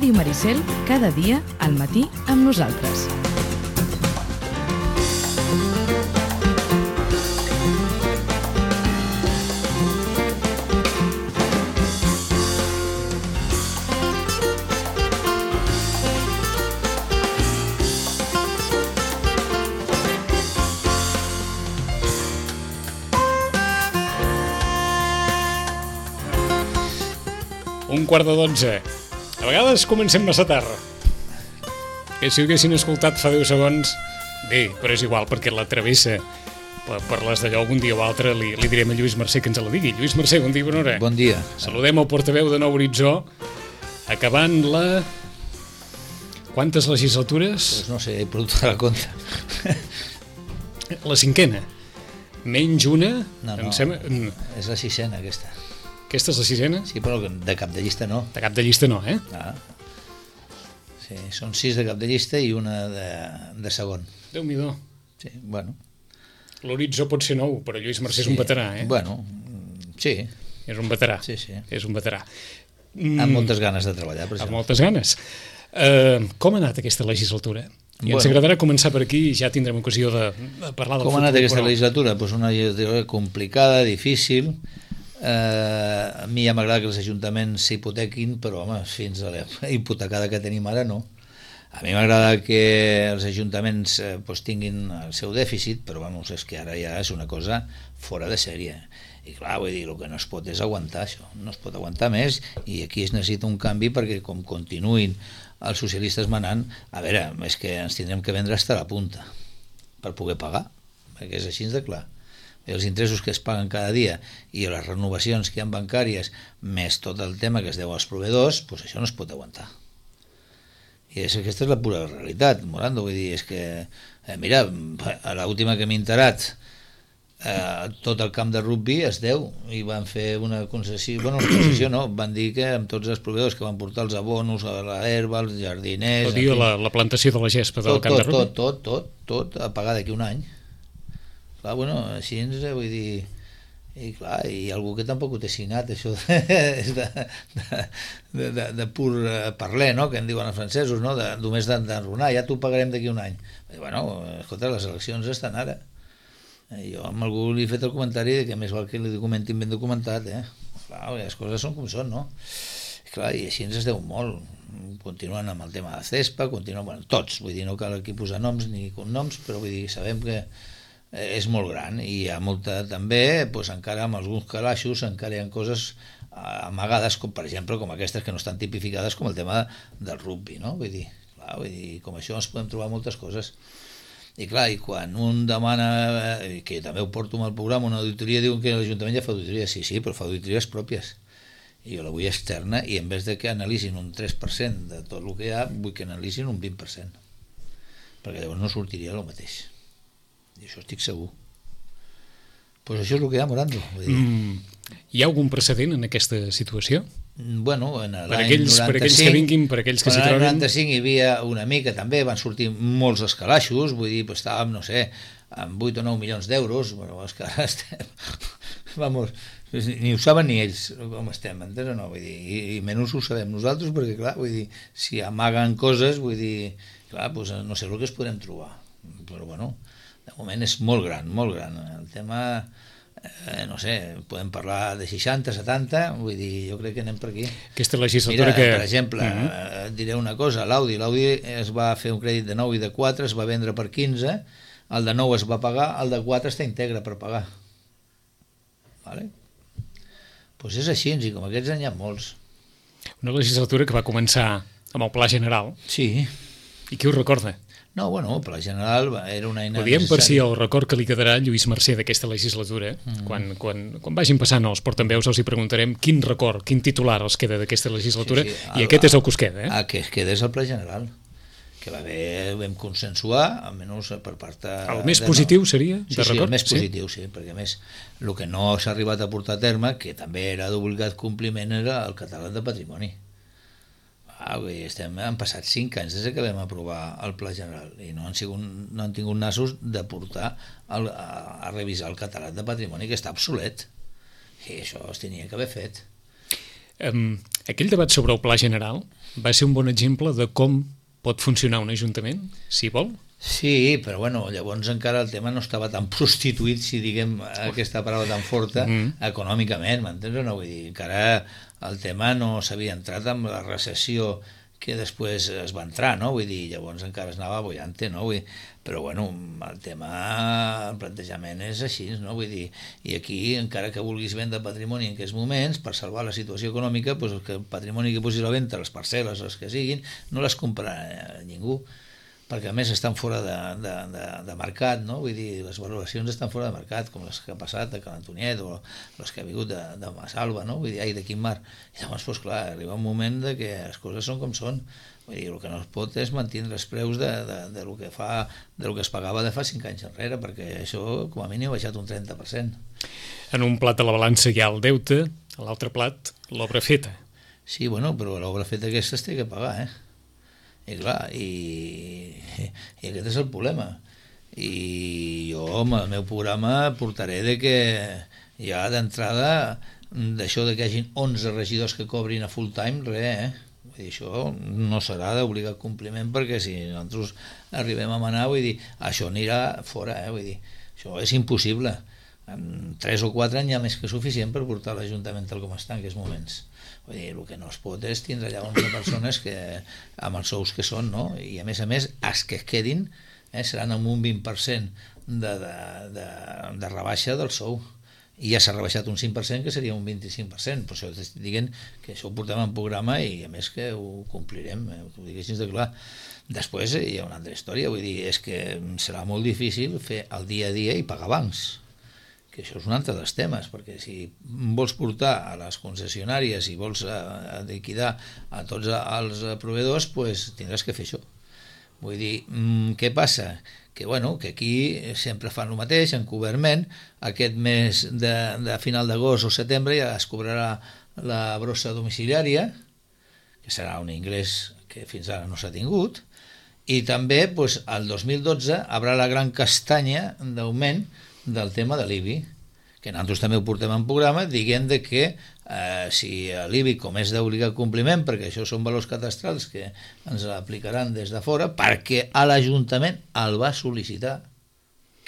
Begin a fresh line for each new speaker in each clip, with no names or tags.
Ràdio Maricel, cada dia al matí amb nosaltres.
Un quart de 12. A vegades comencem massa tard. Que si ho haguessin escoltat fa 10 segons, bé, però és igual, perquè la travessa per les d'allò algun dia o altre li direm a Lluís Mercè que ens la digui. Lluís Mercè, bon dia, bona hora.
Bon dia.
Saludem el portaveu de Nou Horitzó, acabant la... Quantes legislatures?
Pues no sé, he perdut la compte.
La cinquena. Menys una?
No,
em sembla...
és la sisena aquesta.
Aquesta és la sisena?
Sí, però de cap de llista no.
De cap de llista no, eh?
Ah. Sí, són 6 de cap de llista i una de segon.
Déu-n'hi-do.
Sí, bueno.
L'Horitzó pot ser nou, però Lluís Mercè és un veterà, eh?
Bueno, sí.
És un veterà.
Sí, sí.
És un veterà.
Amb moltes ganes de treballar, per això.
Amb moltes ganes. Com ha anat aquesta legislatura? I ens agradarà començar per aquí i ja tindrem ocasió de parlar del futur.
Com ha anat aquesta legislatura? Pues una legislatura complicada, difícil. A mi ja m'agrada que els ajuntaments s'hipotequin, però home, fins a la hipotecada que tenim ara no. A mi m'agrada que els ajuntaments tinguin el seu dèficit, però vamos, és que ara ja és una cosa fora de sèrie. I clar, vull dir, el que no es pot és aguantar això, no es pot aguantar més, i aquí es necessita un canvi perquè com continuïn els socialistes manant, a veure, és que ens tindrem que vendre fins a la punta per poder pagar, perquè és així de clar. Els interessos que es paguen cada dia i les renovacions que hi ha bancàries, més tot el tema que es deu als proveïdors, doncs això no es pot aguantar. I aquesta és la pura realitat, Morando, vull dir, és que, mira, a l'última que m'he enterat, tot el camp de rugby es deu i van fer una concessió, bueno, una concessió no, van dir que amb tots els proveïdors que van portar els abonos, a l'herba, els jardiners...
La plantació de la gespa del camp de rugby?
Tot a pagar d'aquí un any. Clar, bueno, així vull dir, i clar, i algú que tampoc ho té signat, això és de pur parler, no?, que en diuen els francesos, no?, només d'enrunar, ja t'ho pagarem d'aquí un any. I bueno, escolta, les eleccions estan ara. Jo amb algú li he fet el comentari que més val que li documentin ben documentat, Clar, les coses són com són, no? I clar, i així ens es deu molt. Continuen amb el tema de CESPA, bueno, tots, vull dir, no cal aquí posar noms ni cognoms, però vull dir, sabem que és molt gran i hi ha molta també, doncs encara amb alguns calaixos encara hi ha coses amagades com per exemple com aquestes que no estan tipificades com el tema del rugby, no? Vull dir, com això ens podem trobar moltes coses i clar, i quan un demana que també ho porto amb el programa, una auditoria, diuen que l'Ajuntament ja fa auditoria, sí, però fa auditories pròpies i jo la vull externa i en vez de que analitzin un 3% de tot el que hi ha, vull que analitzin un 20% perquè llavors no sortiria el mateix. I això estic segur. Pues això és el que hi ha, Morando.
Hi ha algun precedent en aquesta situació?
Bueno, en
l'any 95... Per aquells que vinguin, per aquells que s'hi trobin...
En l'any 95 hi havia una mica també, van sortir molts escalaixos, vull dir, estàvem, no sé, amb 8 o 9 milions d'euros, però és que ara estem... Vamos, ni ho saben ni ells com estem, entens o no? Vull dir, i menys ho sabem nosaltres, perquè clar, vull dir, si amaguen coses, vull dir, clar, doncs no sé el que es podrem trobar, però bueno... De moment és molt gran. El tema, no sé, podem parlar de 60, 70, vull dir, jo crec que anem per aquí.
Aquesta legislatura
Mira, per exemple, et diré una cosa, l'Audi es va fer un crèdit de 9 i de 4, es va vendre per 15, el de 9 es va pagar, el de 4 està íntegre per pagar. Vale? Doncs és així, i com aquests n'hi ha molts.
Una legislatura que va començar amb el Pla General.
Sí.
I qui ho recorda?
No, bueno, el Pla General era una eina...
Ho diem per si el record que li quedarà a Lluís Mercè d'aquesta legislatura. Quan vagin passant els portaveus els hi preguntarem quin record, quin titular els queda d'aquesta legislatura, i aquest és el que us queda.
El que es queda és el Pla General, que vam consensuar, almenys per part...
El més positiu seria, de record?
Sí, el més positiu, sí, perquè a més el que no s'ha arribat a portar a terme, que també era d'obligat compliment, era el català de patrimoni. Han passat 5 anys des que vam aprovar el Pla General i no han tingut nassos de portar a revisar el catàleg de patrimoni, que està obsolet, i això es tenia que haver fet.
Aquell debat sobre el pla general va ser un bon exemple de com pot funcionar un ajuntament, si vol?
Sí, però bueno, llavors encara el tema no estava tan prostituït, si diguem aquesta paraula tan forta, econòmicament, m'entens o no? Vull dir, encara el tema no s'havia entrat amb la recessió que després es va entrar, no? Vull dir, llavors encara es anava bollante, no? Vull dir, però bueno, el tema, el plantejament és així, no? Vull dir, i aquí, encara que vulguis vendre patrimoni en aquests moments, per salvar la situació econòmica, doncs el patrimoni que posis a la venda, les parcel·les, les que siguin, no les comprarà ningú, perquè a més estan fora de mercat, no? Vull dir, les valoracions estan fora de mercat, com les que ha passat a Can Antoniet o les que ha vingut de Massalva, no? Vull dir, ai, de quin mar. I llavors, doncs clar, arriba un moment de que les coses són com són. Vull dir, el que no es pot és mantenir els preus de lo que es pagava de fa 5 anys enrere, perquè això, com a mínim, ha baixat un 30%.
En un plat de la balança hi ha el deute, a l'altre plat, l'obra feta.
Sí, bueno, però l'obra feta aquesta es té que pagar, I clar, i aquest és el problema. I jo, amb el meu programa, portaré de que ja d'entrada, d'això de que hi hagi 11 regidors que cobrin a full time, res, Vull dir, això no serà d'obligat compliment, perquè si nosaltres arribem a manar, vull dir, això anirà fora, Vull dir, això és impossible. En 3 o 4 anys hi ha més que suficient per portar l'Ajuntament tal com està en aquests moments. Vull dir, el que no es pot és tindre allà 11 persones que, amb els sous que són, no? I a més, els que es quedin seran amb un 20% de rebaixa del sou. I ja s'ha rebaixat un 5%, que seria un 25%. Per això estic dient que això ho portem en programa i a més que ho complirem, ho dic així de clar. Després hi ha una altra història, vull dir, és que serà molt difícil fer el dia a dia i pagar bancs, que això és un altre dels temes, perquè si vols portar a les concessionàries i vols liquidar a tots els proveïdors, doncs tindràs que fer això. Vull dir, què passa? Que aquí sempre fan el mateix, encoberment. Aquest mes de final d'agost o setembre ja es cobrarà la brossa domiciliària, que serà un ingrés que fins ara no s'ha tingut, i també el 2012 haurà la gran castanya d'augment del tema de l'IBI, que nosaltres també ho portem en programa, diguem que si l'IBI, com és d'obligat compliment, perquè això són valors cadastrals que ens aplicaran des de fora, perquè a l'Ajuntament el va sol·licitar,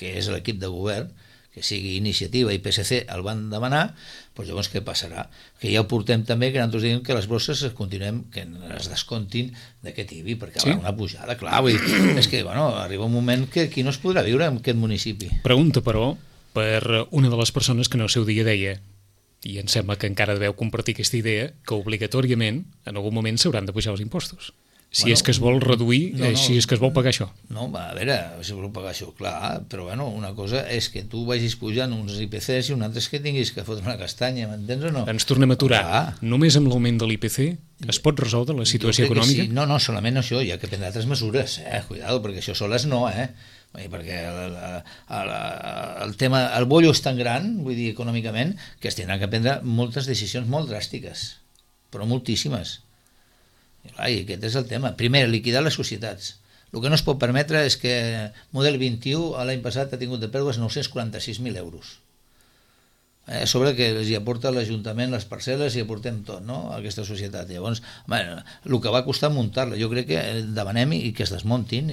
que és l'equip de govern, que sigui Iniciativa i PSC el van demanar, doncs llavors què passarà? Que ja ho portem també, que nosaltres diguem que les bosses continuem, que es descontin d'aquest IBI, perquè hi haurà una pujada, clar, vull dir, és que arriba un moment que aquí no es podrà viure en aquest municipi.
Pregunta, però, per una de les persones que en el seu dia deia, i em sembla que encara deveu compartir aquesta idea, que obligatorament en algun moment s'hauran de pujar els impostos. Si és que es vol reduir, si és que es vol pagar això.
No, a veure, si vol pagar això, clar, però una cosa és que tu vagis pujant uns IPCs i una altra és que tinguis que fotre una castanya, m'entens o no?
Ens tornem a aturar. Només amb l'augment de l'IPC es pot resoldre la situació econòmica?
Sí. No, solament això, hi ha que prendre altres mesures, cuidado, perquè això soles no, perquè el tema, el bollo és tan gran, vull dir, econòmicament, que es tindran que prendre moltes decisions molt dràstiques, però moltíssimes. I aquest és el tema. Primer, liquidar les societats. El que no es pot permetre és que Model 21 l'any passat ha tingut de pèrdues 946.000 euros. A sobre que els hi aporta l'Ajuntament les parcel·les i aportem tot, no?, a aquesta societat. Llavors, el que va costar muntar-la, jo crec que demanem i que es desmuntin,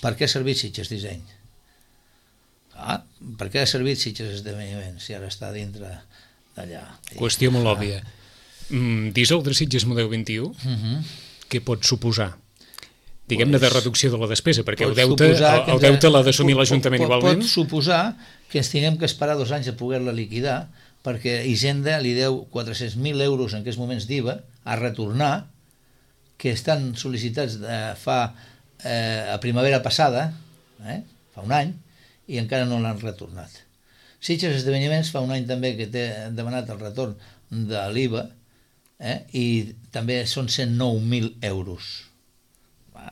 Per què ha servit Sitges Disseny? Per què ha servit Sitges Esdeveniments si ara està dintre d'allà?
Qüestió molt òbvia. Dissoldre Sitges Model 21, què pot suposar? Diguem-ne de reducció de la despesa, perquè el deute l'ha d'assumir l'Ajuntament igualment.
Pot suposar que ens tinguem que esperar 2 anys a poder-la liquidar, perquè Hisenda li deu 400.000 euros en aquests moments d'IVA a retornar, que estan sol·licitats a primavera passada, fa un any, i encara no l'han retornat. Sitges Esdeveniments fa un any també que té demanat el retorn de l'IVA, i també són 109.000 euros.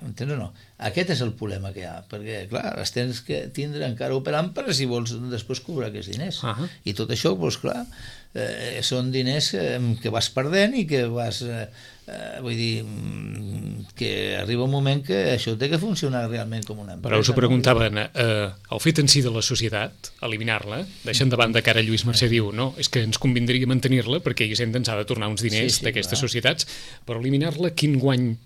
Entens o no? Aquest és el problema que hi ha, perquè, clar, els tens que tindre encara operant per si vols després cobrar aquests diners. I tot això, doncs, clar, són diners que vas perdent i que vas... vull dir, que arriba un moment que això té que funcionar realment com una empresa.
Però us ho preguntaven, el fet en si de la societat, eliminar-la, deixant de banda que ara Lluís Mercè diu, no, és que ens convindria mantenir-la perquè Hisenda ens ha de tornar uns diners d'aquestes societats, però eliminar-la, quin guany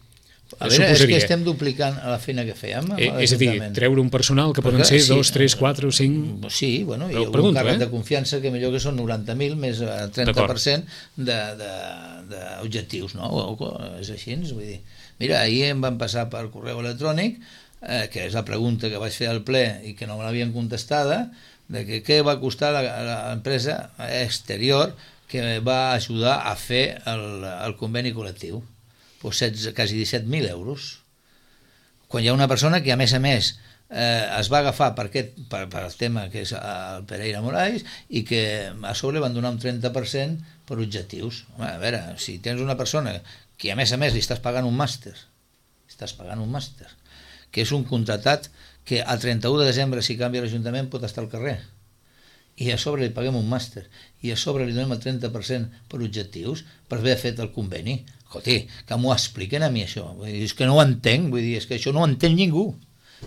a veure, és que estem duplicant la feina que fèiem.
És a dir, treure un personal que poden ser 2, 3, 4 o 5...
Sí, bueno, hi ha un càrrec de confiança que millor que són 90.000 més 30% d'objectius, no? És així, vull dir. Mira, ahir em van passar per correu electrònic, que és la pregunta que vaig fer al ple i que no me l'havien contestada, de que què va costar l'empresa exterior que va ajudar a fer el conveni col·lectiu. Quasi 17.000 euros. Quan hi ha una persona que, a més, es va agafar per el tema que és el Pereira Moraes i que a sobre van donar un 30% per objectius. Home, a veure, si tens una persona que, a més, li estàs pagant un màster, que és un contratat que el 31 de desembre, si canvia l'Ajuntament, pot estar al carrer, i a sobre li paguem un màster, i a sobre li donem el 30% per objectius, per haver fet el conveni. Escolti, que m'ho expliquen a mi això. Vull dir, és que no ho entenc, vull dir, és que això no ho entén ningú.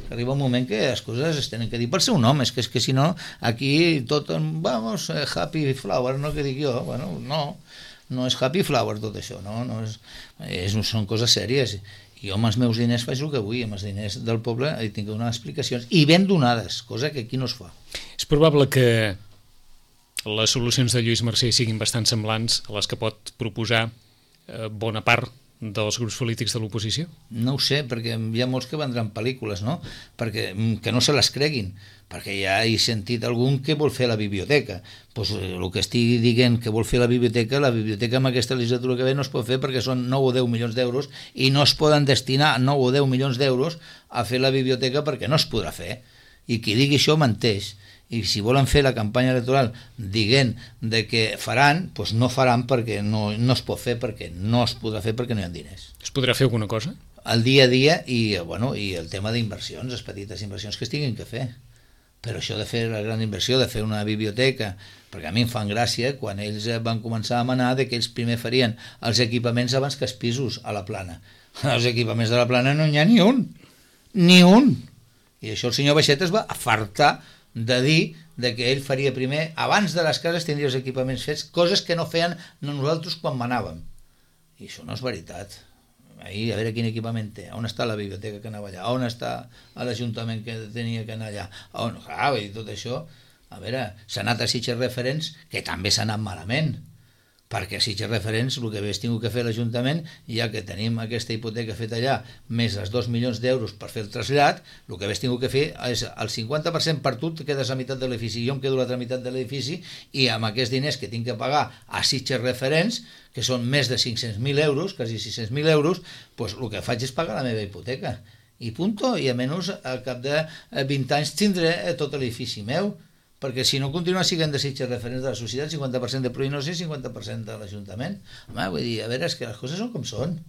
Arriba un moment que les coses es tenen que dir per seu nom, és que si no, aquí tot, vamos, happy flower, no que dic jo, bueno, no és happy flower tot això, són coses sèries. Jo amb els meus diners faig el que vull, amb els diners del poble hi tinc que donar explicacions, i ben donades, cosa que aquí no es fa.
És probable que les solucions de Lluís Mercè siguin bastant semblants a les que pot proposar bona part dels grups polítics de l'oposició?
No ho sé, perquè hi ha molts que vendran pel·lícules, no? Perquè que no se les creguin, perquè ja he sentit algun que vol fer la biblioteca. Pues el que estigui dient que vol fer la biblioteca en aquesta legislatura que ve no es pot fer perquè són 9 o 10 milions d'euros i no es poden destinar 9 o 10 milions d'euros a fer la biblioteca perquè no es podrà fer. I qui digui això menteix. I si volen fer la campanya electoral dient de que faran, doncs no faran perquè no es pot fer, perquè no es podrà fer perquè no hi ha diners.
Es podrà fer alguna cosa?
El dia a dia i el tema d'inversions, les petites inversions que es tinguin que fer. Però això de fer la gran inversió, de fer una biblioteca, perquè a mi em fan gràcia quan ells van començar a manar que ells primer farien els equipaments abans que els pisos a la Plana. Els equipaments de la Plana no n'hi ha ni un. I això el senyor Baixet es va afartar de dir que ell faria primer, abans de les cases tindria els equipaments fets, coses que no feien nosaltres quan manàvem. I això no és veritat. Ahir, a veure quin equipament té, on està la biblioteca que anava allà, on està l'Ajuntament que tenia que anar allà, i tot això, a veure, s'ha anat a Sitges Referents, que també s'ha anat malament, perquè a Sitges Referents el que hagués tingut que fer l'Ajuntament, ja que tenim aquesta hipoteca feta allà, més els 2 milions d'euros per fer el trasllat, el que hagués tingut que fer és el 50% per tu, te quedes a meitat de l'edifici, jo em quedo a l'altra meitat de l'edifici, i amb aquests diners que tinc que pagar a Sitges Referents, que són més de 500.000 euros, quasi 600.000 euros, doncs el que faig és pagar la meva hipoteca. I punto, i almenys al cap de 20 anys tindré tot l'edifici meu, perquè si no continua siguent de Sitges Referents de la societat, 50% de Proinosa i 50% de l'Ajuntament. Home, vull dir, a veure, és que les coses són com són.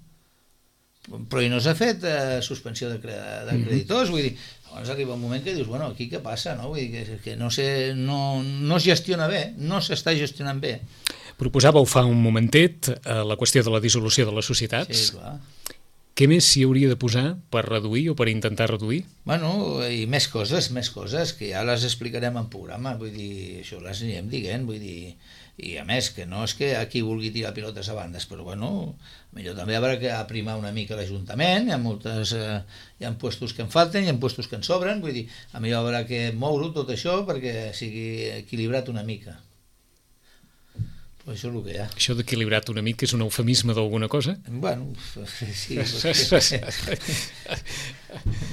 Proinosa ha fet suspensió de creditors, vull dir, llavors arriba un moment que dius, bueno, aquí què passa, no? Vull dir, que no es gestiona bé, no s'està gestionant bé.
Proposàveu fa un momentet la qüestió de la dissolució de les societats.
Sí, clar.
Què més s'hi hauria de posar per reduir o per intentar reduir?
Bueno, i més coses, que ja les explicarem en programa, vull dir, això les anirem dient, vull dir, i a més, que no és que aquí vulgui tirar pilotes a bandes, però bueno, millor també haurà que aprimar una mica l'Ajuntament, hi ha puestos que en falten, hi ha puestos que en sobren, vull dir, a millor haurà que moure tot això perquè sigui equilibrat una mica. Això és el que hi ha.
Això d'equilibrat una mica és un eufemisme d'alguna cosa?
Bueno, sí.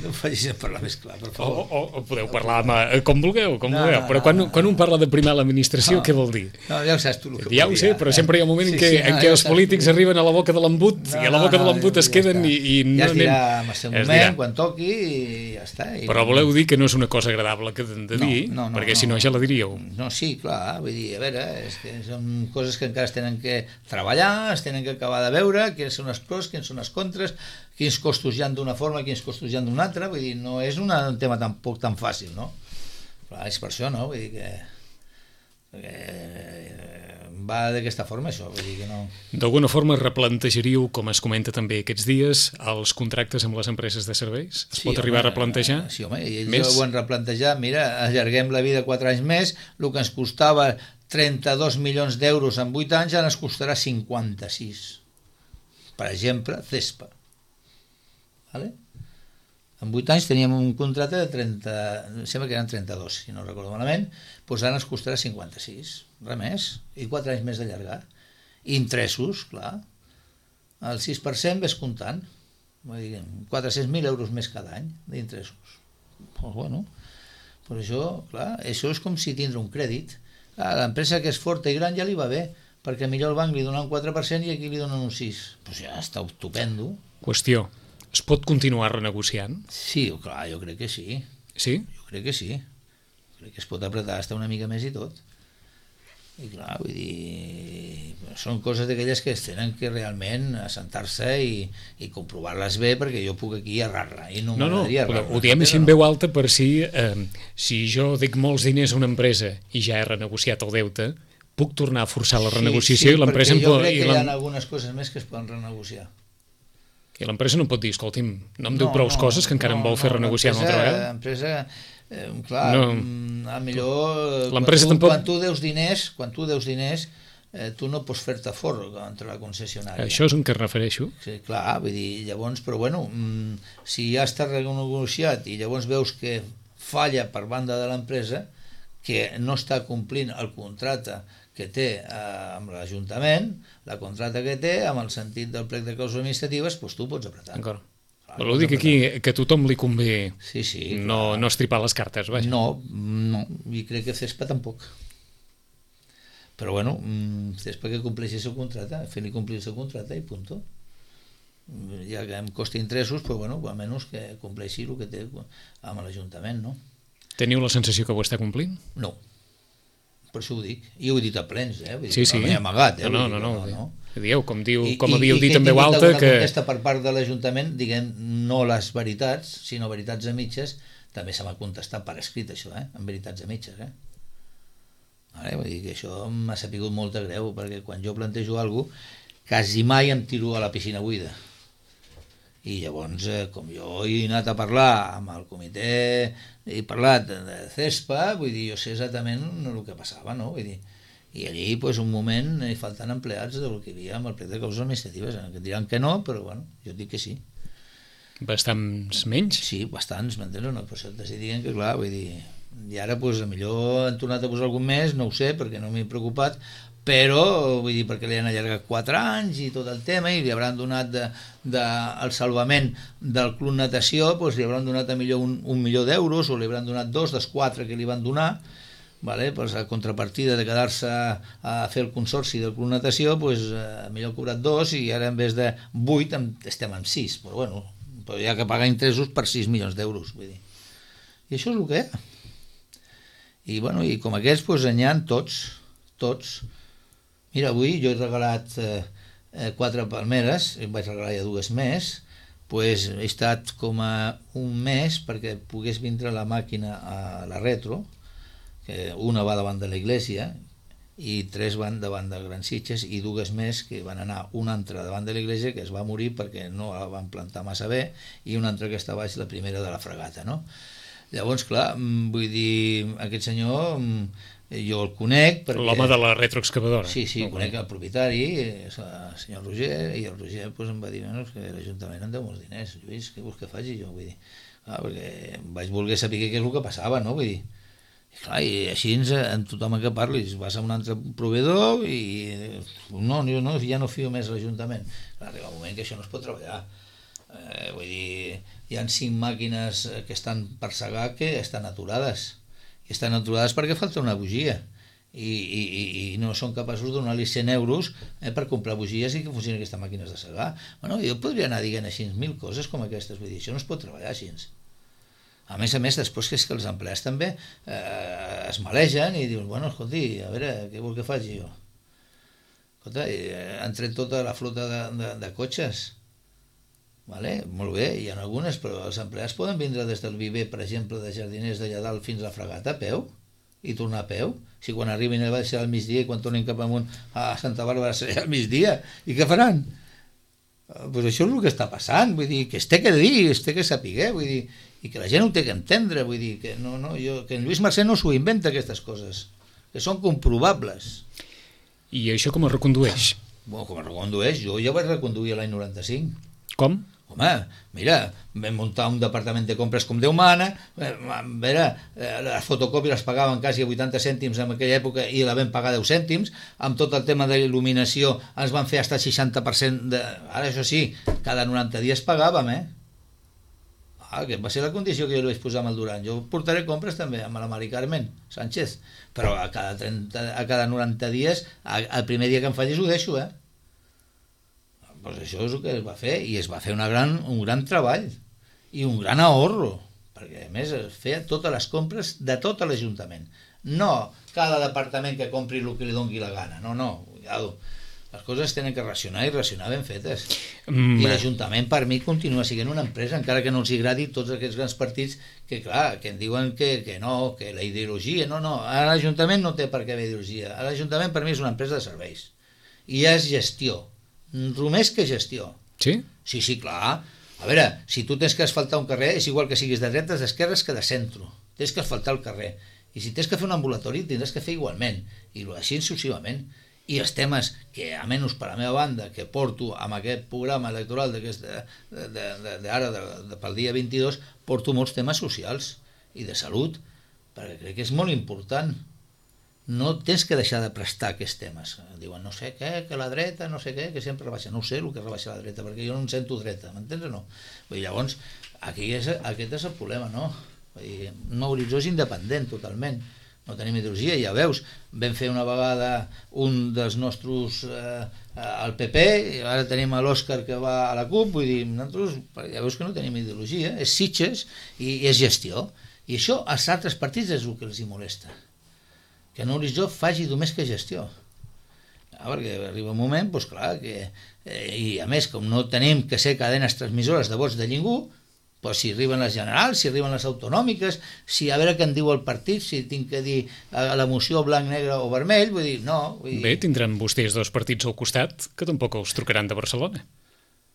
No em facis parlar més clar, per favor.
O podeu parlar com vulgueu, però quan un parla de primar l'administració, què vol dir?
No, ja ho saps tu el que
ja ho sé, però sempre hi ha un moment en què els polítics arriben a la boca de l'embut i a la boca de l'embut es queden i no anem...
Ja es dirà en el seu moment, quan toqui, i ja està.
Però voleu dir que no és una cosa agradable que de dir, perquè si no ja la diríeu.
No, sí, clar, vull dir, a veure, és que són coses que encara es tenen que treballar, es tenen que acabar de veure, quins són els pros, quins són els contres, quins costos hi ha d'una forma, quins costos hi ha d'una altra, vull dir, no és un tema tampoc tan fàcil, no? Però és per això, no? Vull dir que va d'aquesta forma, això, vull dir que no...
D'alguna forma replantejaríeu, com es comenta també aquests dies, els contractes amb les empreses de serveis? Es pot arribar a replantejar?
Sí, home, i ells ho han replantejat, mira, allarguem la vida 4 anys més, el que ens costava 32 milions d'euros en 8 anys ara ens costarà 56. Per exemple, CESPA. Vale? En 8 anys teníem un contracte de 30, sembla que eren 32, si no recordo malament, doncs ara ens costarà 56, res més, i 4 anys més d'allargar. Interessos, clar, el 6% ves comptant, 400.000 euros més cada any d'interessos. Doncs bueno, per això, clar, això és com si tindre un crèdit. Clar, l'empresa que és forta i gran ja li va bé, perquè millor el banc li dona un 4% i aquí li donen un 6%. Doncs ja està estupendo.
Qüestió. Es pot continuar renegociant?
Sí, clar, jo crec que sí.
Sí?
Jo crec que sí. Crec que es pot apretar hasta una mica més i tot. I clar, vull dir, són coses d'aquelles que es tenen que realment assentar-se i comprovar-les bé, perquè jo puc aquí errar-la i no m'agradaria errar-la.
Ho diem així en veu alta per si jo dic molts diners a una empresa i ja he renegociat el deute, puc tornar a forçar la renegociació i l'empresa...
Sí, perquè jo crec que hi ha algunes coses més que es poden renegociar.
I l'empresa no pot dir, escolti'm, no em diu prou coses que encara em vol fer renegociar una altra vegada?
L'empresa, clar, a millor quan tu deus diners, tu no pots fer-te fort contra la concessionària.
Això és on que es refereixo.
Sí, clar, vull dir, llavors, però bueno, si ja està renegociat i llavors veus que falla per banda de l'empresa, que no està complint el contracte que té amb l'Ajuntament, la contracte que té, amb el sentit del plec de causes administratives, doncs tu pots apretar.
D'acord. Però ho dic aquí, que a tothom li convé no estripar les cartes, vaja.
No, i crec que CESPA tampoc. Però bueno, CESPA que compleixi el seu contracte, fer-li complir el seu contracte i punt. Ja que em costa interessos, però bueno, almenys que compleixi el que té amb l'Ajuntament, no?
Teniu la sensació que ho està complint?
No. Per això ho dic. I ho he dit a plens,
Sí.
No m'he amagat,
No. Dieu, com havíeu dit en veu alta, que...
I contesta per part de l'Ajuntament, diguem, no les veritats, sinó veritats a mitges, també se m'ha contestat per escrit, això, en veritats a mitges, Vale? Vull dir que això m'ha sapigut molt de greu, perquè quan jo plantejo alguna cosa, quasi mai em tiro a la piscina buida. I llavors, com jo he anat a parlar amb el comitè, he parlat de CESPA, vull dir, jo sé exactament el que passava, no? Vull dir, i allí, doncs, un moment, hi falten empleats del que hi havia amb el plec de causes administratives, que diran que no, però, bueno, jo dic que sí.
Bastants menys?
Sí, bastants, m'entens? No? Per això t'estic dient que, clar, vull dir, i ara, doncs, millor han tornat a posar algun més, no ho sé, perquè no m'he preocupat, però, vull dir, perquè li han allargat 4 anys i tot el tema, i li hauran donat el salvament del club natació, doncs li hauran donat a millor un milió d'euros, o li hauran donat 2 dels 4 que li van donar, vale? Pues a contrapartida de quedar-se a fer el consorci del club natació, pues, millor ha cobrat 2 i ara en vez de 8 estem en 6, però bueno, però hi ha que pagar interessos per 6 milions d'euros, vull dir. I això és el que hi ha. I, bueno, i com aquests, pues, n'hi ha tots. Mira, avui jo he regalat 4 palmeres, em vaig regalar ja 2 més, doncs he estat com a un mes perquè pogués vindre la màquina a la retro, que una va davant de l'església i 3 van davant de Gran Sitges i 2 més que van anar, una altra davant de l'església que es va morir perquè no la van plantar massa bé i una altra que està baix, la primera de la fregata, no? Llavors, clar, vull dir, aquest senyor... jo el conec perquè...
L'home de la retroexcavadora.
Sí, conec el propietari, el senyor Roger, i el Roger em va dir que l'Ajuntament em deu molts diners. Lluís, què vols que faci? Jo vull dir, perquè vaig voler saber què és el que passava, no? Vull dir, i clar, i així amb tothom que parlis vas a un altre proveïdor i no, jo ja no fio més l'Ajuntament. Arriba un moment que això no es pot treballar. Vull dir, hi ha 5 màquines que estan per segar que estan aturades. I estan aturades perquè falta una bugia i no són capaços de donar-li 100 euros per comprar bugies i que funcionin aquestes màquines de segar. Bueno, jo podria anar dient així 1.000 coses com aquestes, vull dir, això no es pot treballar així. A més, després que és que els empleats també es malegen i diuen, bueno, escolti, a veure, què vol que faci jo? Escolta, han tret tota la flota de cotxes. Vale? Molt bé, hi ha algunes, però els empleats poden vindre des del Viver, per exemple, de Jardiners d'allà dalt fins a la Fragata a peu i tornar a peu. Si quan arribin a serà al migdia i quan tornin cap amunt a Santa Bàrbara serà al migdia. I què faran? Pues això és el que està passant, vull dir, que es té que dir, es té que saber, vull dir, i que la gent ho té que entendre, vull dir, que que en Lluís Mercè no s'ho inventa aquestes coses, que són comprovables.
I això com es recondueix?
Bueno, com es recondueix? Jo ja vaig reconduir l'any 95.
Com?
Home, mira, vam muntar un departament de compres com Déu mana, les fotocòpies les pagaven quasi a 80 cèntims en aquella època i la vam pagar 10 cèntims, amb tot el tema de il·luminació ens van fer fins al 60% de... Ara això sí, cada 90 dies pagàvem, que va ser la condició que jo li vaig posar amb el Duran. Jo portaré compres també amb la Mari Carmen Sánchez, però a cada 90 dies, el primer dia que em fallis ho deixo, Pues això és el que es va fer, i es va fer un gran treball i un gran ahorro, perquè a més es feia totes les compres de tot l'Ajuntament, no cada departament que compri el que li doni la gana, no, cuidado. Les coses tenen que racionar i racionar ben fetes. I l'Ajuntament per mi continua sent una empresa, encara que no els agradi tots aquests grans partits que clar, que en diuen que no, que la ideologia, no, l'Ajuntament no té per què haver ideologia, l'Ajuntament per mi és una empresa de serveis i és gestió, només que gestió.
Sí?
Sí, clar. A veure, si tu tens que asfaltar un carrer, és igual que siguis de dretes, d'esquerres que de centre. Tens que asfaltar el carrer. I si tens que fer un ambulatori, tindràs que fer igualment. I així successivament. I els temes que, a menys per la meva banda, que porto amb aquest programa electoral d'ara, pel dia 22, porto molts temes socials i de salut, perquè crec que és molt important. No tens que deixar de prestar aquests temes. Diuen no sé què, que la dreta, no sé què, que sempre rebaixa. No ho sé el que rebaixa la dreta, perquè jo no em sento dreta, m'entens o no? Vull dir, llavors, aquest és el problema, no? Vull dir, un horitzó és independent totalment, no tenim ideologia, ja veus, vam fer una vegada un dels nostres al PP, i ara tenim l'Òscar que va a la CUP, vull dir, nosaltres ja veus que no tenim ideologia, és sitges i és gestió. I això als altres partits és el que els hi molesta, que en horitzó faci només que gestió. Perquè arriba un moment, doncs clar, i a més, com no tenim que ser cadenes transmissores de vots de ningú, doncs si arriben les generals, si arriben les autonòmiques, si a veure què en diu el partit, si tinc que dir la moció blanc, negre o vermell, vull dir, no.
Bé, tindran vostès dos partits al costat que tampoc els trucaran de Barcelona.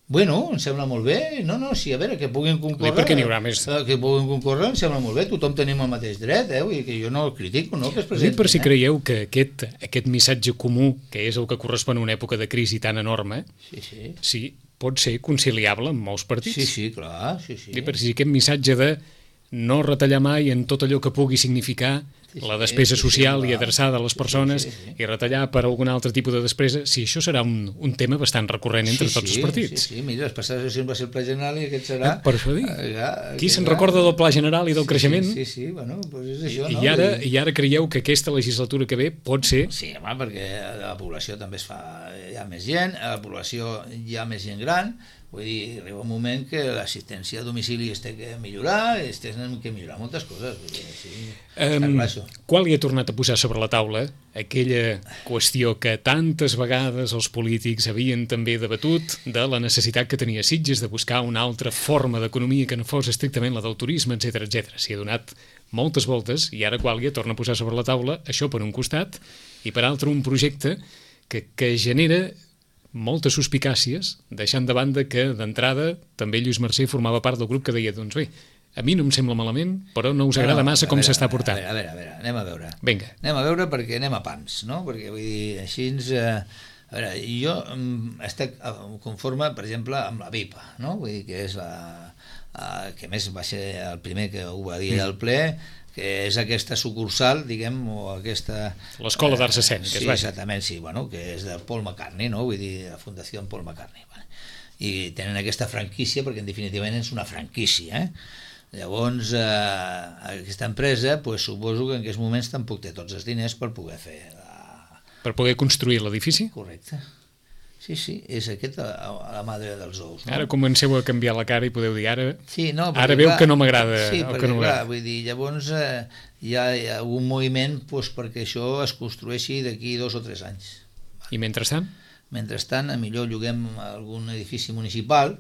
Bueno, em sembla molt bé. No, sí, a veure, que puguin concórrer.
Per què n'hi haurà més?
Que puguin concórrer, em sembla molt bé. Tothom tenim el mateix dret, vull dir que jo no el critico, no, que es presentin.
Per si creieu que aquest missatge comú, que és el que correspon a una època de crisi tan enorme, sí, pot ser conciliable amb molts partits.
Sí, clar, sí.
I per si aquest missatge de no retallar mai en tot allò que pugui significar la despesa social i adreçada a les persones i retallar per algun altre tipus de despesa, si això serà un tema bastant recurrent entre tots els partits.
Sí, mira, les passades sessions va ser el Pla General i aquest serà...
Per això dic. Qui se'n recorda del Pla General i del creixement?
Sí, bueno, doncs és això, no?
I ara creieu que aquesta legislatura que ve pot ser...
Sí, home, perquè la població també es fa... Hi ha més gent, a la població hi ha més gent gran. Vull dir, arriba un moment que l'assistència a domicili es té que millorar, es té que millorar moltes coses. Vull dir, sí, està clar això.
Quan li ha tornat a posar sobre la taula aquella qüestió que tantes vegades els polítics havien també debatut de la necessitat que tenia Sitges de buscar una altra forma d'economia que no fos estrictament la del turisme, etc. S'hi ha donat moltes voltes i ara Quàlia torna a posar sobre la taula això per un costat i per altre un projecte que genera moltes suspicàcies, deixant de banda que d'entrada també Lluís Mercè formava part del grup que deia, doncs bé, a mi no em sembla malament, però no us agrada massa com s'està portant.
A veure, anem a veure.
Vinga.
Anem a veure perquè anem a pams, no? Perquè vull dir, així a veure, jo estic conforme, per exemple, amb la VIPA, no? Vull dir que és que més va ser el primer que ho va dir al ple, que és aquesta sucursal, diguem, o aquesta...
L'Escola d'Arts Escèniques,
sí, exactament, sí, bueno, que és de Paul McCartney, no? Vull dir, la Fundació Paul McCartney. Vale? I tenen aquesta franquícia, perquè en definitiva és una franquícia, Llavors, aquesta empresa, pues, suposo que en aquests moments tampoc té tots els diners per poder fer...
Per poder construir l'edifici?
Correcte. Sí, és aquesta la madre dels ous. No?
Ara comenceu a canviar la cara i podeu dir ara veu
clar,
que no m'agrada.
Sí, perquè clar, vull dir, llavors hi ha un moviment perquè això es construeixi d'aquí 2 o 3 anys.
Vale. I mentrestant?
Mentrestant, a millor lloguem algun edifici municipal,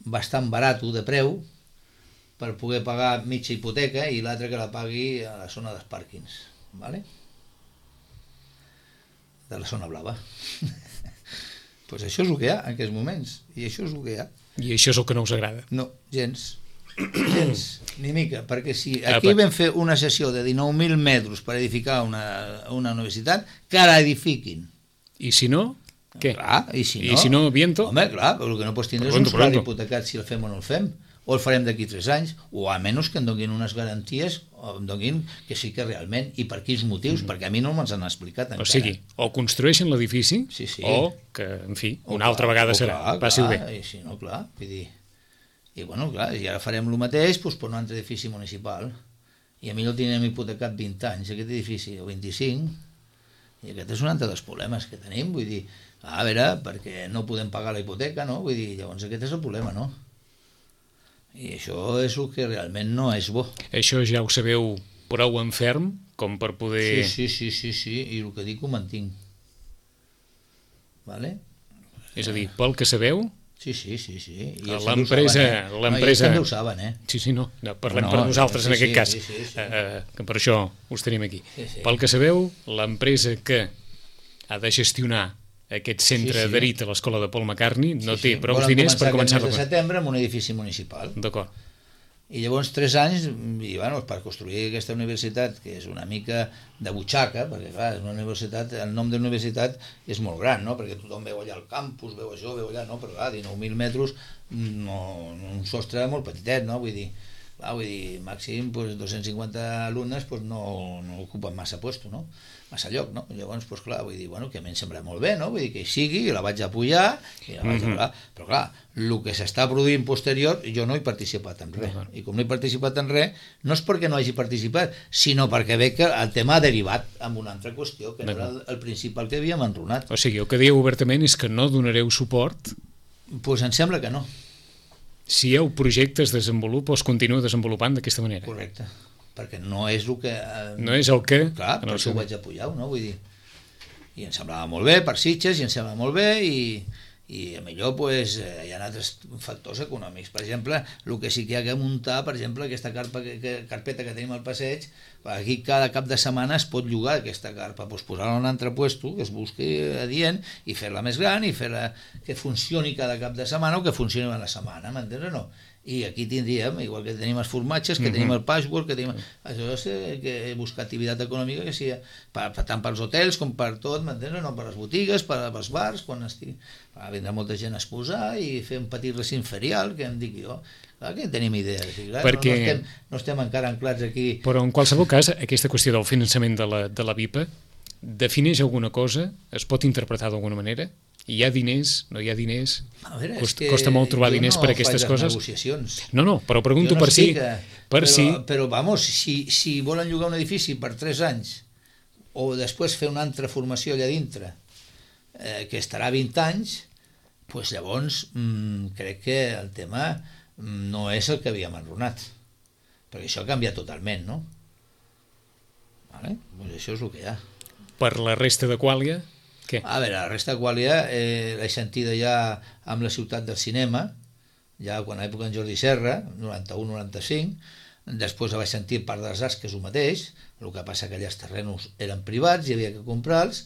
bastant barat de preu per poder pagar mitja hipoteca i l'altre que la pagui a la zona dels pàrquings, ¿vale? De la zona blava. Pues això és el que hi ha en aquests moments, i això és el que hi ha.
I això és el que no us agrada.
No, gens, ni mica, perquè si aquí vam fer una sessió de 19.000 metres per edificar una universitat, que la edifiquin.
I si no, què?
Clar, i si no...
I si no, viento?
Home, clar, però el que no pots tindre és un solari hipotecat si el fem o no el fem, o el farem d'aquí 3 anys, o a menys que em donin unes garanties, o em donin que sí que realment, i per quins motius, perquè a mi no me'ls han explicat encara.
O sigui, o construeixen l'edifici,
sí.
o que, en fi, una altra vegada serà, passi-ho bé.
I si no, clar, vull dir... I bueno, clar, i ara farem el mateix doncs, per un altre edifici municipal, i a mi el tindrem hipotecat 20 anys, aquest edifici, o 25, i aquest és un altre dels problemes que tenim, vull dir, a veure, perquè no podem pagar la hipoteca, no? Vull dir, llavors aquest és el problema, no? I això és el que realment no és bo.
Això ja ho sabeu prou en ferm com per poder...
Sí, i el que dic ho mantinc. Vale?
És a dir, pel que sabeu...
Sí.
L'empresa...
No, ells també ho saben,
Sí, no, parlem per nosaltres en aquest cas, que per això us tenim aquí. Pel que sabeu, l'empresa que ha de gestionar aquest centre adherit a l'escola de Paul McCartney no té prou diners per començar
a setembre amb un edifici municipal.
D'acord.
I llavors 3 anys, i bueno, per construir aquesta universitat, que és una mica de butxaca, perquè clar, és una universitat, el nom de la universitat és molt gran, no? Perquè tothom veu allà el campus, veu això, veu allà, no? Però clar, 19.000 metres, no, un sostre molt petitet, no? Vull dir, màxim pues, 250 alumnes pues, no ocupen massa puesto, no? Massa lloc, no? Llavors, pues, clar, vull dir, bueno, que a mi em sembla molt bé, no? Vull dir que hi sigui, la vaig apujar, i la vaig apujar, però clar, el que s'està produint posterior, jo no he participat en res, i com no he participat en res, no és perquè no hagi participat, sinó perquè veig que el tema ha derivat en una altra qüestió, que no era el principal que havíem enronat.
O sigui, el que dieu obertament és que no donareu suport?
Pues em sembla que no.
Si el projecte es desenvolupa o es continua desenvolupant d'aquesta manera.
Correcte, perquè no és el que...
No és el que...
Clar, per això ho vaig apujar, no? Vull dir, i em semblava molt bé per Sitges, i em semblava molt bé, i a millor pues, hi ha altres factors econòmics. Per exemple, el que sí que hi ha que muntar, per exemple, aquesta carpeta que tenim al passeig, aquí cada cap de setmana es pot llogar aquesta carpa, pues, posar-la en un altre puesto que es busqui adient i fer-la més gran i fer-la que funcioni cada cap de setmana o que funcioni a la setmana, m'entens o no? I aquí tindríem, igual que tenim els formatges, que tenim el patchwork, que tenim... Això és que buscar activitat econòmica que sigui tant pels hotels com per tot, m'entens? No per les botigues, per als bars, quan estigui... Vindrà molta gent a exposar i fer un petit recint ferial, que em dic jo. Clar que tenim idees. Clar, perquè... no estem encara anclats aquí...
Però en qualsevol cas, aquesta qüestió del finançament de la BIPA defineix alguna cosa? Es pot interpretar d'alguna manera? Hi ha diners, no hi ha diners? Costa molt trobar diners per aquestes coses? No, però pregunto per si...
Però, vamos, si volen llogar un edifici per 3 anys o després fer una altra formació allà dintre, que estarà 20 anys, doncs llavors crec que el tema no és el que havíem enronat. Perquè això ha canviat totalment, no? Vale? Doncs això és el que hi ha.
Per la resta de Quàlia... Què?
A veure, la resta de Quàlia l'he sentida ja amb la ciutat del cinema, ja quan a l'època en Jordi Serra, 91-95, després la vaig sentir part dels arts, que és el mateix, el que passa que allà els terrenos eren privats, hi havia que comprar-los,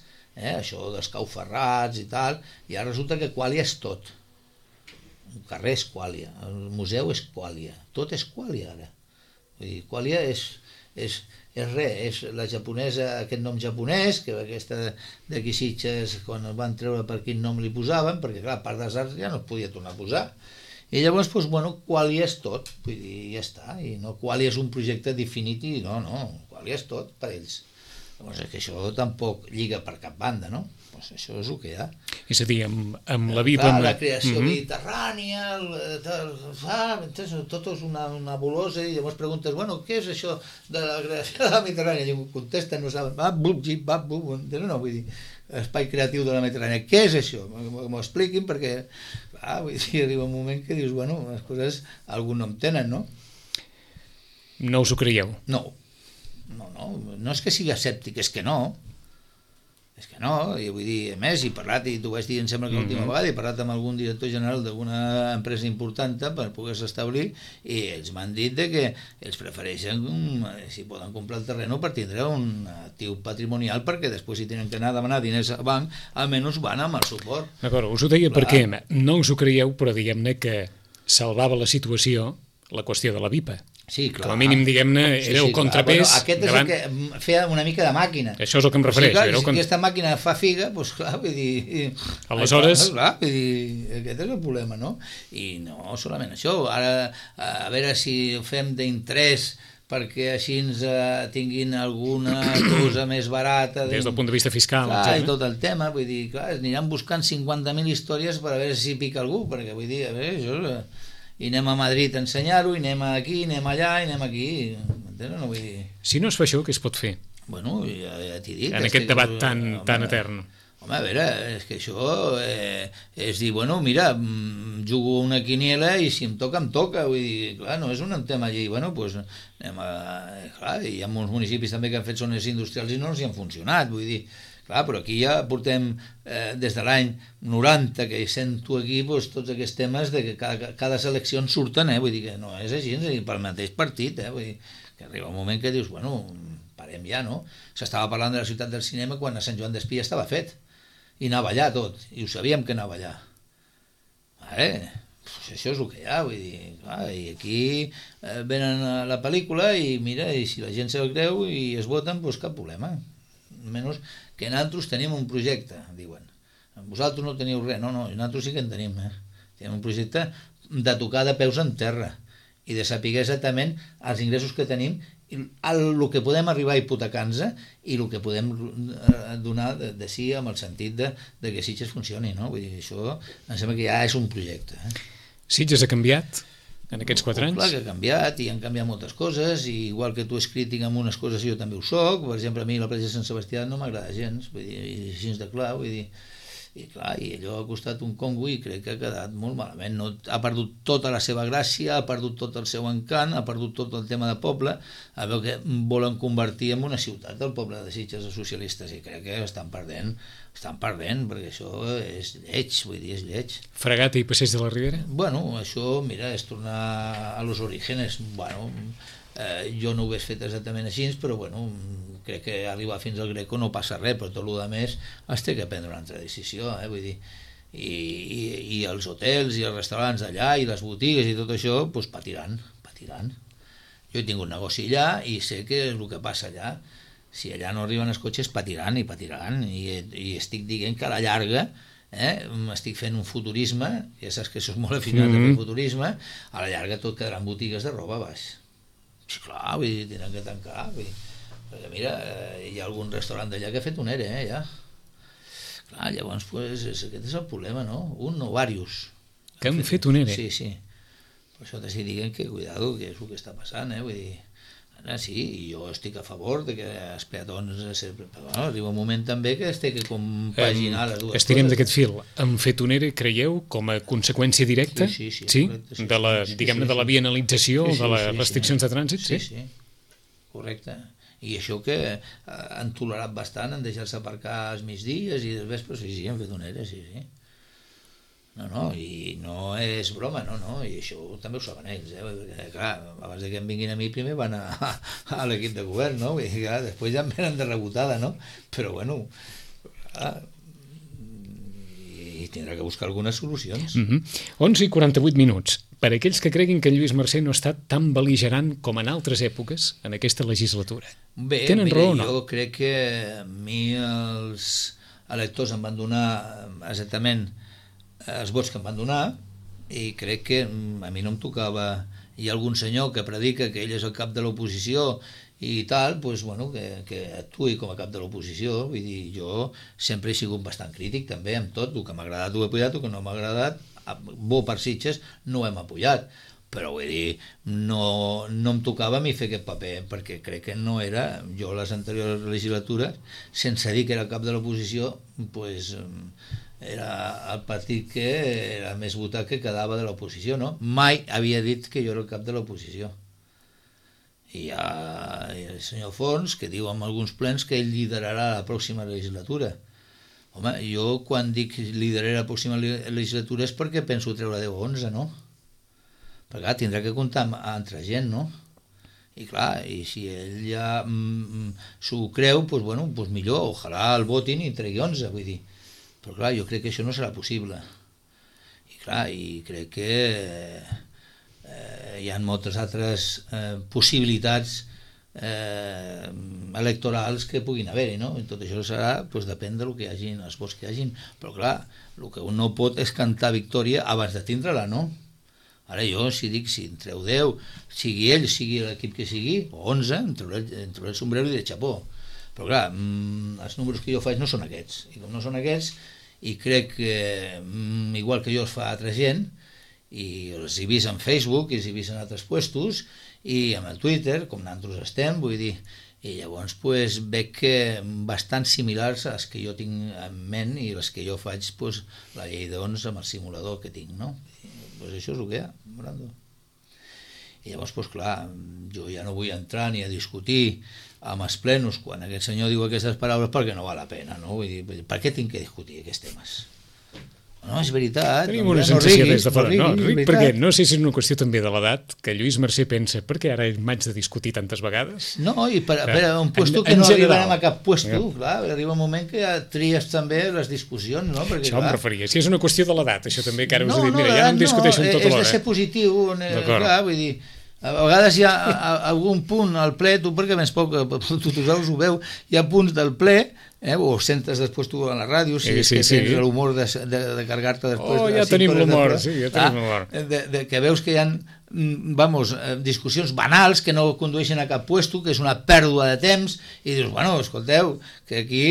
això dels cauferrats i tal, i ara resulta que Quàlia és tot. Un carrer és Quàlia, el museu és Quàlia, tot és Quàlia ara. Vull dir, Quàlia és res, és la japonesa, aquest nom japonès, que aquesta d'aquí Sitges, quan el van treure per quin nom li posaven, perquè clar, a part dels arts ja no es podia tornar a posar. I llavors, doncs, bueno, Quàlia és tot, vull dir, ja està, i no, Quàlia és un projecte definit i no, Quàlia és tot per ells. Llavors, que això tampoc lliga per cap banda, no? Doncs això és el que hi ha.
És a dir, amb la BIPA...
La creació mediterrània, tot és una nebulosa, i llavors preguntes, bueno, què és això de la creació de la Mediterrània? I contesten, no saben, no, vull dir, espai creatiu de la Mediterrània, què és això? M'ho expliquin, perquè, vull dir, arriba un moment que dius, bueno, les coses algun nom tenen, no?
No us ho creieu?
No és que sigui escèptic, és que no. És que no, i vull dir, a més, he parlat, i t'ho vaig dir, em sembla que l'última vegada, he parlat amb algun director general d'alguna empresa important per poder-se establir, i ells m'han dit que ells prefereixen, si poden comprar el terreny per tindre un actiu patrimonial, perquè després si tenen que anar a demanar diners al banc, almenys van amb el suport.
D'acord, us ho deia perquè no us ho creieu, però diguem-ne que salvava la situació la qüestió de la VIPA.
Sí, clar.
Com a mínim, diguem-ne, era el contrapès.
Bueno, aquest és el que feia una mica de màquina.
Això és el que em refereix.
Sí, clar, si aquesta màquina fa figa, doncs clar, vull dir...
Aleshores...
Clar, vull dir, aquest és el problema, no? I no solament això, ara a veure si ho fem d'interès perquè així ens tinguin alguna cosa més barata...
Des del punt de vista fiscal,
clar, i tot el tema, vull dir, clar, aniran buscant 50.000 històries per a veure si pica algú, perquè vull dir, a veure, això... I anem a Madrid a ensenyar-ho, i anem aquí, i anem allà, i anem aquí, m'entens? No vull dir...
Si no es fa això, què es pot fer?
Bueno, ja t'he dit...
En aquest debat tan etern.
Home, a veure, és que això és dir, bueno, mira, jugo una quiniela i si em toca, em toca. Vull dir, clar, no és un tema allí. Bueno, doncs anem a... Clar, hi ha molts municipis també que han fet zones industrials i no els hi han funcionat, vull dir... Clar, però aquí ja portem des de l'any 90 que sento aquí doncs, tots aquests temes de que cada selecció en surten, vull dir que no és així, pel mateix partit, vull dir que arriba un moment que dius, bueno, parem ja, no? S'estava parlant de la ciutat del cinema quan a Sant Joan d'Espí ja estava fet, i anava allà tot, i ho sabíem que anava allà. Pues això és el que hi ha, vull dir, clar, i aquí venen a la pel·lícula i mira, i si la gent se'l creu i es voten, doncs cap problema. Menys que nosaltres tenim un projecte, diuen. Vosaltres no teniu res, no, nosaltres sí que en tenim. Tenim un projecte de tocar de peus en terra i de saber exactament els ingressos que tenim, el que podem arribar a hipotecar-nos i el que podem donar de sí amb el sentit de que Sitges funcioni, no? Vull dir, això em sembla que ja és un projecte.
Sitges ha canviat en aquests 4 anys?
Clar que ha canviat, i han canviat moltes coses, i igual que tu és crític amb unes coses, jo també ho soc. Per exemple, a mi la platja de Sant Sebastià no m'agrada gens, vull dir, i així de clar, vull dir, i clar, i allò ha costat un congo i crec que ha quedat molt malament, no, ha perdut tota la seva gràcia, ha perdut tot el seu encant, ha perdut tot el tema de poble, a veure que volen convertir en una ciutat del poble de Sitges els socialistes, i crec que estan perdent, perquè això és lleig, vull dir, és lleig.
Fragata i Passeig de la Ribera?
Bueno, això, mira, és tornar a los orígenes, bueno... jo no ho hagués fet exactament així, però bueno, crec que arribar fins al Greco no passa res, però tot el més es té que prendre una altra decisió, vull dir, i els hotels i els restaurants d'allà i les botigues i tot això, doncs patiran. Jo he tingut negoci allà i sé que és el que passa allà. Si allà no arriben els cotxes, patiran, i estic dient que a la llarga estic fent un futurisme, ja saps que això és molt afinat a fer futurisme, a la llarga tot quedaran botigues de roba baix. Clar, vull dir, tenen que tancar, perquè mira, hi ha algun restaurant d'allà que ha fet un ERE, ja. Clar, llavors, pues, aquest és el problema, no? Un o diversos.
Que han fet un ERE?
Sí. Per això t'estic dient que, cuidado, que és el que està passant, vull dir, ara sí, i jo estic a favor de que els peatons, però arriba un moment també que es té que compaginar les dues coses.
Estirem d'aquest fil. Han fet un ERE, creieu, com a conseqüència directa?
Sí.
Correcte, de la, diguem-ne, de la vianalització, de les restriccions de trànsit?
Sí, correcte. I això que han tolerat bastant, han deixat-se aparcar als migdies i dels vespres, sí, han fet un ERE, sí. No, i no és broma, no, i això també ho saben ells, perquè, clar, abans que em vinguin a mi primer van a l'equip de govern, no? I clar, després ja em venen de rebotada, no? Però bueno, i tindrà que buscar algunes solucions.
11:48. Per aquells que creguin que Lluís Mercè no ha estat tan bel·ligerant com en altres èpoques en aquesta legislatura.
Bé,
tenen raó o no?
Jo crec que a mi els electors em van donar exactament els vots que em van donar, i crec que a mi no em tocava. Hi ha algun senyor que predica que ell és el cap de l'oposició i tal, doncs, bueno, que actuï com a cap de l'oposició. Vull dir, jo sempre he sigut bastant crític també amb tot, el que m'ha agradat ho he apoyat, el que no m'ha agradat, bo per Sitges, no ho hem apoyat, però vull dir, no em tocava a mi fer aquest paper, perquè crec que no era, jo les anteriors legislatures, sense dir que era el cap de l'oposició, doncs era el partit que era més votat que quedava de l'oposició, no? Mai havia dit que jo era el cap de l'oposició. I hi ha el senyor Fons que diu en alguns plens que ell liderarà la pròxima legislatura. Home, jo quan dic lideraré la pròxima legislatura és perquè penso treure 10 o 11, no? Perquè clar, tindrà que comptar amb altra gent, no? I clar, i si ell ja s'ho creu, doncs bueno, doncs millor, ojalà el votin i tregui 11, vull dir. Però clar, jo crec que això no serà possible. I clar, i crec que hi ha moltes altres possibilitats electorals que puguin haver-hi, no? I tot això serà, doncs depèn del que hi hagi, els vots que hi hagin. Però clar, el que un no pot és cantar victòria abans de tindre-la, no? Ara jo, si dic, si en treu 10, sigui ell, sigui l'equip que sigui, o 11, em trauré el sombrero i de xapó. Però clar, els números que jo faig no són aquests. I com no són aquests, i crec que, igual que jo els fa altra gent, i els he vist en Facebook, i els he vist en altres puestos, i amb el Twitter, com nosaltres estem, vull dir, i llavors pues, veig que bastant similars a les que jo tinc en ment i les que jo faig pues, la llei d'11 amb el simulador que tinc, no? Pues això és el que hi ha, Brando. I llavors, pues, clar, jo ja no vull entrar ni a discutir amb els plenos quan aquest senyor diu aquestes paraules perquè no val la pena, no? Vull dir, per què tinc que discutir aquests temes? No, és veritat.
Tenim una sensació des de fora. No, Ric, perquè no sé si és una qüestió també de l'edat, que Lluís Mercè pensa, per què ara m'haig de discutir tantes vegades?
No, i per un puesto que no arribarem a cap puesto, clar, arriba un moment que ja tries també les discussions, no? Perquè,
això em referia, si és una qüestió de l'edat, això també, que ara us he dit, mira,
ja
ja no em discuteixo amb tota l'hora.
És de ser positiu, clar, vull dir, a vegades hi ha algun punt al ple, tu perquè més poc, tothom ho veu, hi ha punts del ple, o sentes després tu a la ràdio, si és que tens l'humor de carregar-te després.
Ja tenim l'humor, sí, ja tenim l'humor.
Que veus que hi ha discussions banals que no condueixen a cap puesto, que és una pèrdua de temps, i dius, bueno, escolteu, que aquí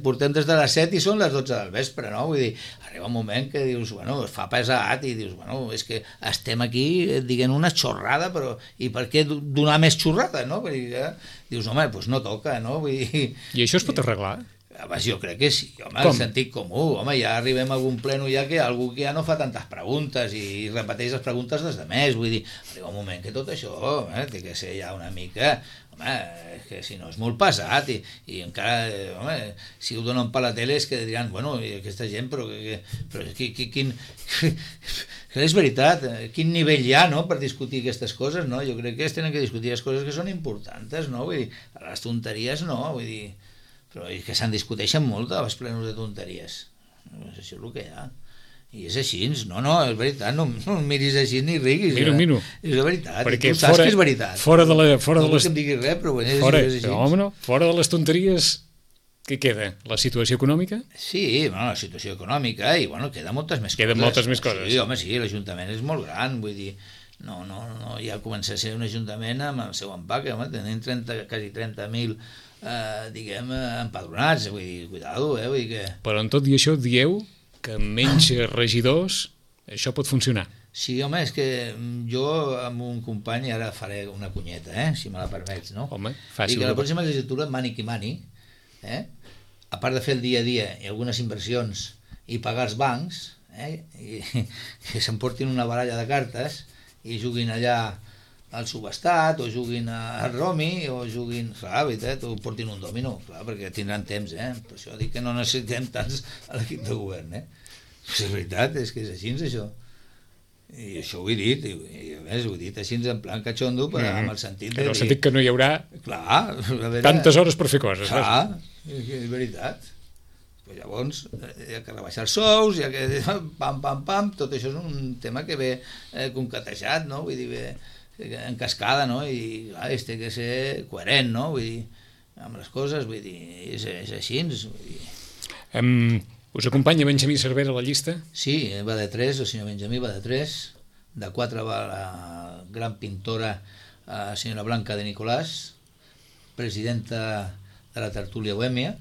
portem des de les 7 i són les 12 del vespre, no? Vull dir, arriba un moment que dius, bueno, es fa pesat i dius, bueno, és que estem aquí dient una xorrada, però i per què donar més xorrada, no? Vull dir, dius, home, doncs no toca, no? Vull dir...
I això es pot arreglar?
Jo crec que sí, home, el sentit comú, home, ja arribem a algun pleno ja que algú que ja no fa tantes preguntes i repeteix les preguntes des de més, vull dir, arriba un moment que tot això té que ser ja una mica, home, és que si no és molt pesat i encara, home, si ho donen per la tele és que diran, bueno, i aquesta gent, però quin... és veritat, quin nivell hi ha, no?, per discutir aquestes coses, no? Jo crec que es tenen que discutir les coses que són importants, no? Vull dir, les tonteries no, vull dir... però és que se'n discuteixen molt als plenos de tonteries. Això és el que hi ha. I és així, no, és veritat, no em miris així ni riguis.
Miro.
És la veritat,
perquè
tu saps que és veritat.
Fora de les...
No vull que em diguis res, però és així.
Home, fora de les tonteries, què queda? La situació econòmica?
Sí, bueno, la situació econòmica, i bueno, queden moltes més coses.
Queden moltes més coses.
Sí, home, sí, l'Ajuntament és molt gran, vull dir, no, ja comença a ser un ajuntament amb el seu empaque, home, tenim quasi 30.000 diguem, empadronats, vull dir, cuidado, vull dir que...
Però en tot i això dieu que amb menys regidors això pot funcionar.
Sí, home, és que jo amb un company ara faré una cunyeta, si me la permets, no?
Home, fàcil.
I que la pròxima legislatura, mani qui mani, a part de fer el dia a dia i algunes inversions i pagar els bancs, i que s'emportin una baralla de cartes i juguin allà al subestat, o juguin al Romi, o juguin, clar, veritat, o portin un dòmino, clar, perquè tindran temps, per això dic que no necessitem tants a l'equip de govern, És veritat, és que és així, això. I això ho he dit, i a més ho he dit així en plan cachondo, amb el sentit de...
En el sentit que no hi haurà tantes hores per fer coses.
Clar, és veritat. Però llavors hi ha que rebaixar els sous, hi ha que... pam, tot això és un tema que ve concatejat, no? Vull dir, ve en cascada, no? I clar, té que ser coherent, no? Vull dir, amb les coses, vull dir, és així. Vull dir.
Us acompanya Benjamí Cervera a la llista?
Sí, va de 3, el senyor Benjamí va de 3, de 4 va la gran pintora senyora Blanca de Nicolàs, presidenta de la tertúlia Bohèmia,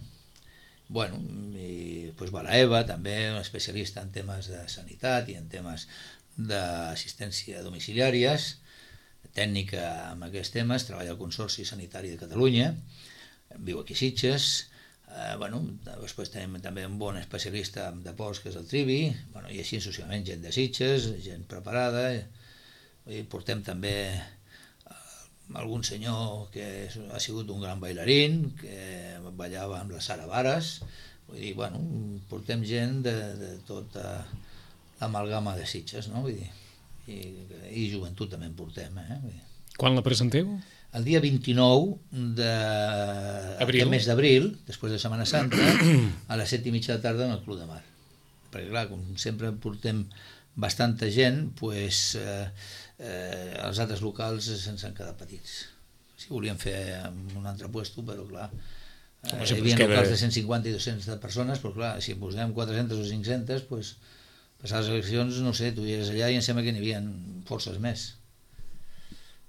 bueno, i doncs va la Eva, també una especialista en temes de sanitat i en temes d'assistència domiciliàries, tècnica amb aquests temes, treballa al Consorci Sanitari de Catalunya, viu aquí a Sitges, després tenim també un bon especialista de ports, que és el Trivi, i així successivament gent de Sitges, gent preparada, portem també algun senyor que ha sigut un gran bailarín, que ballava amb la Sara Varas, Vull dir, bueno, portem gent de tota l'amalgama de Sitges, no? Vull dir, i joventut també en portem, Vull dir.
Quan la presenteu?
El dia 29 d'aquest mes d'abril, després de Setmana Santa, a les 7:30 de tarda en el Club de Mar. Perquè clar, com sempre portem bastanta gent, doncs els altres locals se'ns han quedat petits. Si volíem fer en un altre puesto, però clar, hi havia locals de 150 i 200 de persones, però clar, si posem 400 o 500, doncs passar les eleccions, no sé, tu eres allà i em sembla que n'hi havia forces més.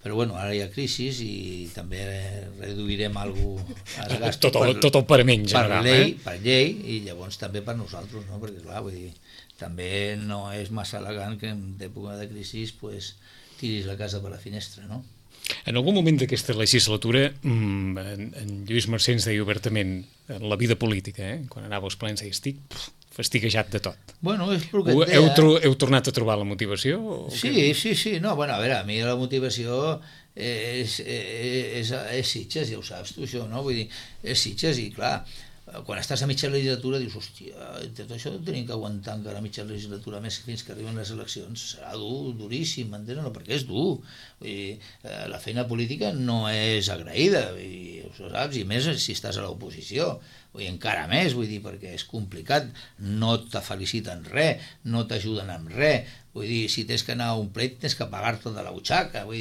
Però bueno, ara hi ha crisi i també reduirem els gastos
tot el parament general,
per llei i llavors també per nosaltres, no? Perquè clar, vull dir, també no és massa elegant que en època de crisi pues, tiris la casa per la finestra, no?
En algun moment d'aquesta legislatura en Lluís Mercè ens deia obertament en la vida política, quan anava als plens deia estic fastiguejat de tot.
Bueno, és el que et deia.
Heu tornat a trobar la motivació?
Sí. No, bueno, a veure, a mi la motivació és Sitges, ja ho saps tu, això, no? Vull dir, és Sitges i, clar, quan estàs a mitja legislatura dius, hòstia, tot això tenim que aguantar encara mitja legislatura més fins que arriben les eleccions, serà dur, duríssim, m'entens? No, perquè és dur. Vull dir, la feina política no és agraïda, i ho saps, i més si estàs a l'oposició. Vull dir, encara més, vull dir, perquè és complicat, no te feliciten res, no t'ajuden amb res, vull dir, si tens que anar a un pleit tens que pagar-te de la butxaca, vull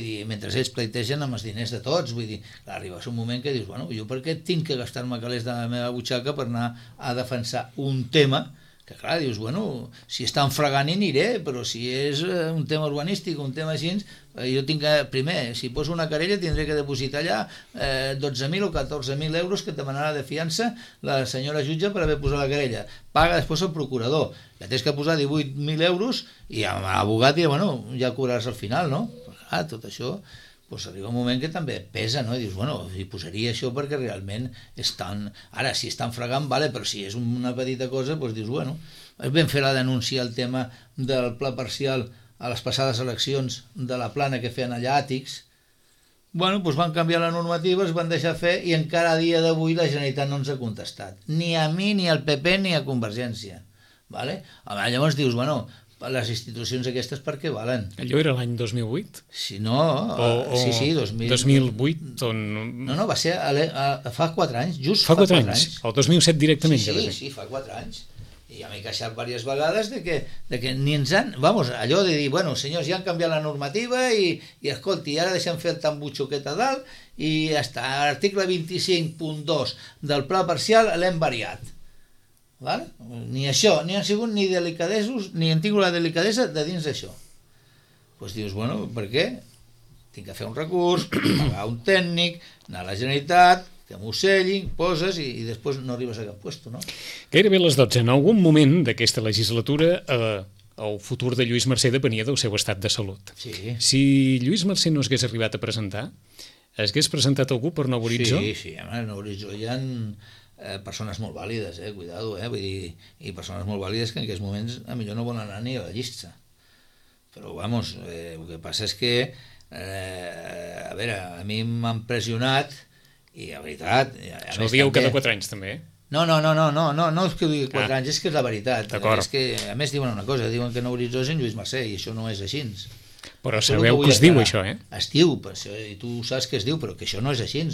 dir, mentre ells pleitegen amb els diners de tots, vull dir, clar, arribes un moment que dius, bueno, jo per què tinc que gastar-me calés de la meva butxaca per anar a defensar un tema que clar, dius, bueno, si estan fregant hi aniré, però si és un tema urbanístic, un tema així, jo tinc que, primer, si poso una querella tindré que depositar allà 12.000 o 14.000 euros que et demanarà de fiança la senyora jutge per haver posat la querella. Paga després el procurador, ja tens que posar 18.000 euros i amb l'abogat i, bueno, ja cobraràs al final, no? Però clar, tot això pues arriba un moment que també pesa, no? I dius, bueno, hi posaria això perquè realment estan... Ara, si estan fregant, vale, però si és una petita cosa, doncs dius, bueno, és ben fer la denúncia al tema del pla parcial a les passades eleccions de la plana que feien allà àtics. Bueno, doncs van canviar la normativa, es van deixar fer i encara a dia d'avui la Generalitat no ens ha contestat. Ni a mi, ni al PP, ni a Convergència. Vale? Llavors dius, bueno, les institucions aquestes per què valen?
Allò era l'any 2008?
Sí, no, sí,
2008 on...
No, va ser fa 4 anys, just
fa 4 anys. El 2007 directament.
Sí, fa 4 anys. I ja m'he queixat diverses vegades de que ni ens han... Vamos, allò de dir, bueno, senyors, ja han canviat la normativa i escolti, ara deixem fer el tambutxo aquest a dalt i hasta l'article 25.2 del pla parcial l'hem variat. Val? Ni això, ni han sigut ni delicadesos, ni han tingut la delicadesa de dins d'això. Doncs dius, bueno, per què? Tinc que fer un recurs, pagar un tècnic, anar a la Generalitat, que m'ho sellin, poses i després no arribes a cap puesto, no?
Gairebé a les 12. En algun moment d'aquesta legislatura el futur de Lluís Mercè depenia del seu estat de salut.
Sí.
Si Lluís Mercè no s'hagués arribat a presentar, hagués presentat algú per Nou Horitzó?
Sí, a Nou Horitzó hi ha persones molt vàlides, cuidado, vull dir, i persones molt vàlides que en aquests moments a millor no volen anar ni a la llista. Però, vamos, el que passa és que, a veure, a mi m'han pressionat i, la veritat...
Això ho dieu cada 4 anys, també,
No és que ho digui 4 anys, és que és la veritat.
D'acord.
És que, a més, diuen una cosa, diuen que Nou Horitzó és en Lluís Mercè, i això no és així.
Però sabeu que es diu, això,
Es diu, i tu saps que es diu, però que això no és així.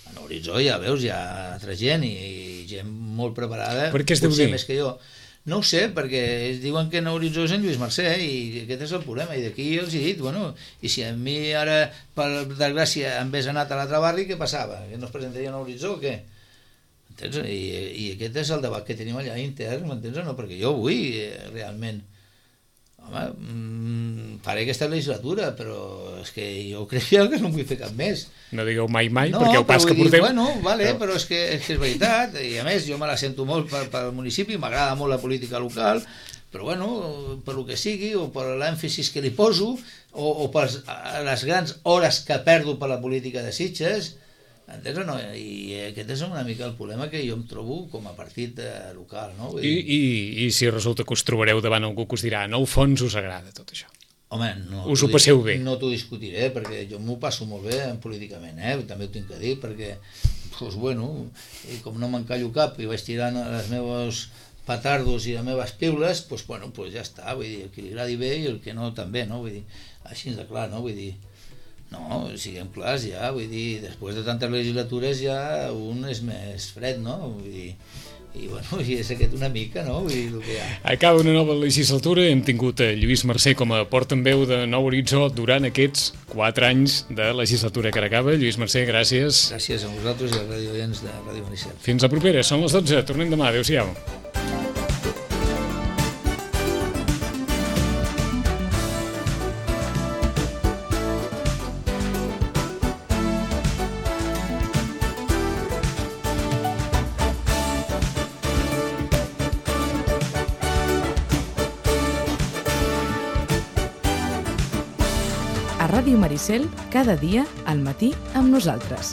A Nou Horitzó, ja veus, hi ha altra gent i gent molt preparada.
Per què es deu dir?
Més que jo. No ho sé, perquè diuen que Nou Horitzó és en Lluís Mercè i aquest és el problema, i d'aquí els he dit, bueno, i si a mi ara, per desgràcia, em hagués anat a l'altre barri, què passava? Que no es presentaria Nou Horitzó o què? Entens? I aquest és el debat que tenim allà intern, m'entens o no? Perquè jo vull realment, home, faré aquesta legislatura, però és que jo crec que no vull fer cap més.
No digueu mai, perquè el pas que porteu...
Bueno, vale, però és que és veritat, i a més jo me la sento molt pel municipi, m'agrada molt la política local, però bueno, per el que sigui, o per l'èmfasis que li poso, o per les grans hores que perdo per la política de Sitges, entens o no? I aquest és una mica el problema que jo em trobo com a partit local, no?
I si resulta que us trobareu davant algú que us dirà, en el fons us agrada tot això?
Home, no
us ho passeu bé?
No t'ho discutiré, perquè jo m'ho passo molt bé políticament, també ho tinc que dir, perquè, doncs bueno, i com no m'encallo cap i vaig tirant els meus petardos i les meves piules, doncs bueno, ja està, vull dir, el que li agradi bé i el que no també, no? Vull dir, així de clar, no? Vull dir, no, siguem clars ja, vull dir, després de tantes legislatures ja un és més fred, no? Vull dir, i bueno, i és aquest una mica, no? Vull dir, el que hi ha.
Acaba una nova legislatura, hem tingut a Lluís Mercè com a portaveu de Nou Horitzó durant aquests 4 anys de legislatura que ara acaba. Lluís Mercè, gràcies.
Gràcies a vosaltres i als radioients de Ràdio Maricel.
Fins la propera, són les 12, tornem demà, adéu-siau.
A Ràdio Maricel, cada dia, al matí, amb nosaltres.